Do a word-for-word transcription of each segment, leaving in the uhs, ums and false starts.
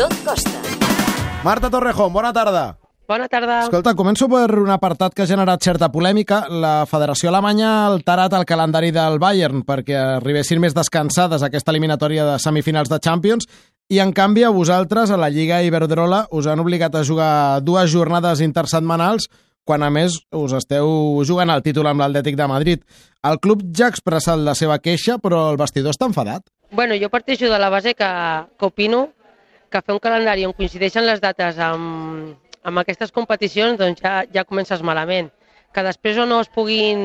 Tot costa. Marta Torrejón, bona tarda. Bona tarda. Escolta, començo per un apartat que ha generat certa polèmica. La Federació Alemanya ha alterat el calendari del Bayern perquè arribessin més descansades a aquesta eliminatòria de semifinals de Champions i, en canvi, a vosaltres, a la Lliga Iberdrola, us han obligat a jugar dues jornades intersetmanals quan, a més, us esteu jugant el títol amb l'Atlètic de Madrid. El club ja ha expressat la seva queixa, però el vestidor està enfadat. Bueno, jo parteixo de la base que, que opino que fer un calendari on coincideixen les dates amb, amb aquestes competicions doncs ja, ja comences malament. Que després o no es puguin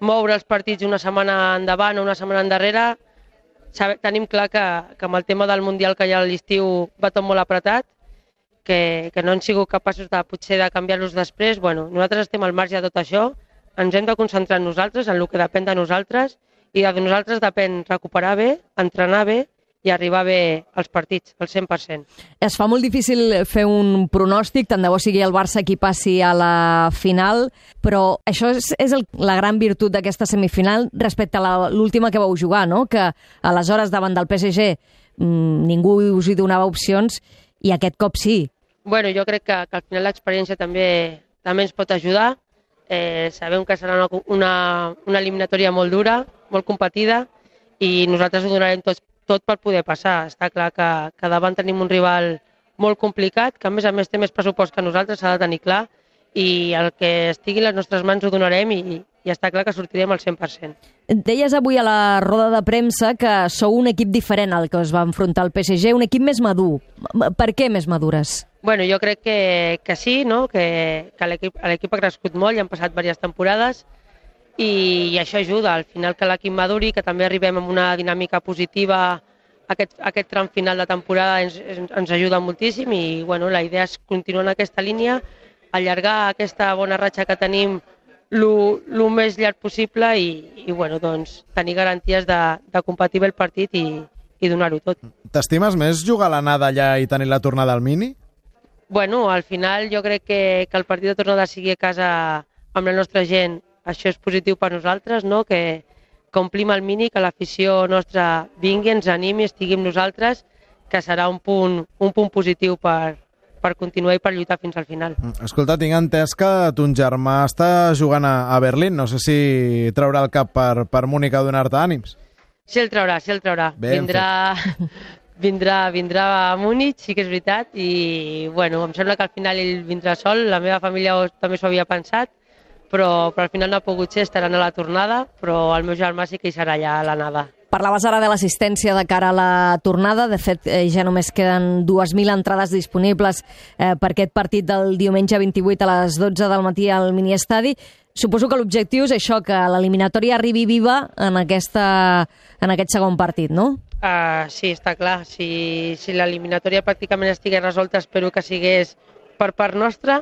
moure els partits una setmana endavant o una setmana endarrere, sabe, tenim clar que, que amb el tema del Mundial que hi ha a l'estiu va tot molt apretat, que, que no han sigut capaços de, potser de canviar-los després. Bueno, nosaltres estem al marge de tot això, ens hem de concentrar en nosaltres, en el que depèn de nosaltres, i de nosaltres depèn recuperar bé, entrenar bé i arribar bé als partits, al cent per cent. Es fa molt difícil fer un pronòstic, tant de bo sigui el Barça qui passi a la final, però això és, és el, la gran virtut d'aquesta semifinal respecte a l'última que vau jugar, no? Que aleshores davant del P S G mmm, ningú us hi donava opcions i aquest cop sí. Bueno, jo crec que, que al final l'experiència també, també ens pot ajudar. Eh, sabem que serà una, una, una eliminatòria molt dura, molt competida, i nosaltres ho donarem tot, tot per poder passar. Està clar que, que davant tenim un rival molt complicat, que a més a més té més pressupost que nosaltres, s'ha de tenir clar, i el que estigui a les nostres mans ho donarem i, i està clar que sortirem al cent per cent. Deies avui a la roda de premsa que sou un equip diferent al que us va enfrontar el P S G, un equip més madur. Per què més madures? Bueno, jo crec que, que sí, no? que, que l'equip ha crescut molt i han passat diverses temporades i, i això ajuda al final que l'equip maduri, que també arribem amb una dinàmica positiva. Aquest, aquest tram final de temporada ens, ens ajuda moltíssim i bueno, la idea és continuar en aquesta línia, allargar aquesta bona ratxa que tenim el més llarg possible i, i bueno, doncs, tenir garanties de, de competir bé el partit i, i donar-ho tot. T'estimes més jugar a l'anada allà i tenir la tornada al Mini? Bueno, al final jo crec que, que el partit de tornada sigui a casa amb la nostra gent, això és positiu per nosaltres, no? que, que omplim el Mini, que l'afició nostra vingui, ens animi, estigui amb nosaltres, que serà un punt, un punt positiu per, per continuar i per lluitar fins al final. Escolta, tinc entès que ton germà està jugant a, a Berlín, no sé si traurà el cap per, per Múnich a donar-te ànims. Sí el traurà, sí el traurà. Ben vindrà... Vindrà, vindrà a Múnich, sí que és veritat, i bueno, em sembla que al final ell vindrà sol, la meva família també s'ho havia pensat, però, però al final no ha pogut ser, estaran a la tornada, però el meu germà sí que hi serà allà a l'anada. Parlaves ara de l'assistència de cara a la tornada, de fet eh, ja només queden dues mil entrades disponibles eh, per aquest partit del diumenge vint-i-vuit a les dotze del matí al miniestadi. Suposo que l'objectiu és això, que l'eliminatòria arribi viva en, aquesta, en aquest segon partit, no? Uh, sí, està clar. Si, si l'eliminatòria pràcticament estigués resolta, espero que sigués per part nostra,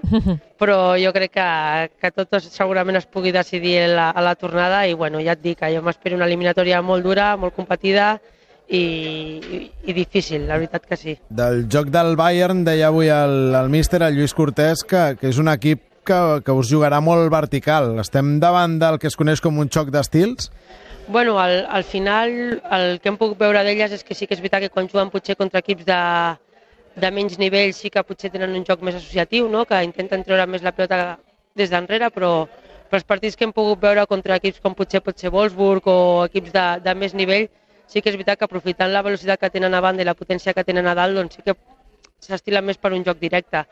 però jo crec que, que tot segurament es pugui decidir a la, a la tornada i bueno, ja et dic que jo m'espero una eliminatòria molt dura, molt competida i, i, i difícil, la veritat que sí. Del joc del Bayern deia avui el, el míster, el Lluís Cortés, que, que és un equip que, que us jugarà molt vertical. Estem davant del que es coneix com un xoc d'estils? Bueno, al, al final el que hem pogut veure d'elles és que sí que és veritat que quan juguen potser contra equips de, de menys nivell sí que potser tenen un joc més associatiu, no? Que intenten treure més la pilota des d'enrere, però, però els partits que hem pogut veure contra equips com potser pot ser Wolfsburg o equips de, de més nivell, sí que és veritat que aprofitant la velocitat que tenen a banda i la potència que tenen a dalt, doncs sí que s'estilen més per un joc directe.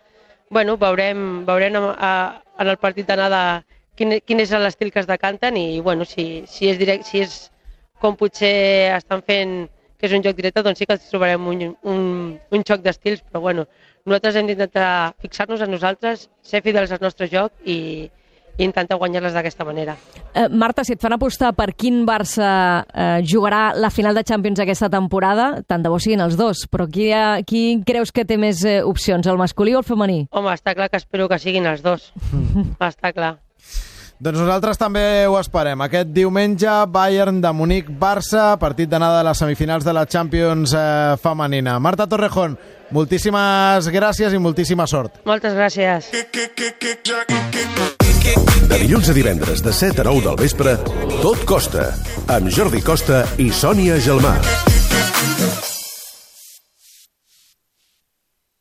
Bueno, veurem, veurem a, a, en el partit d'anada Quin, quin és l'estil que es decanten i bueno, si, si, és direct, si és com potser estan fent que és un joc directe, doncs sí que trobarem un, un, un xoc d'estils, però bueno, nosaltres hem d'intentar fixar-nos en nosaltres, ser fidels al nostre joc i, i intentar guanyar-les d'aquesta manera. Eh, Marta, si et fan apostar per quin Barça eh, jugarà la final de Champions aquesta temporada, tant de bo siguin els dos, però qui, ha, qui creus que té més eh, opcions, el masculí o el femení? Home, està clar que espero que siguin els dos, està clar. Doncs nosaltres també ho esperem. Aquest diumenge, Bayern de Múnich, Barça, partit d'anada de les semifinals de la Champions eh, femenina. Marta Torrejón, moltíssimes gràcies i moltíssima sort. Moltes gràcies. De dilluns a divendres, de set a nou del vespre, Tot Costa, amb Jordi Costa i Sònia Gelmà.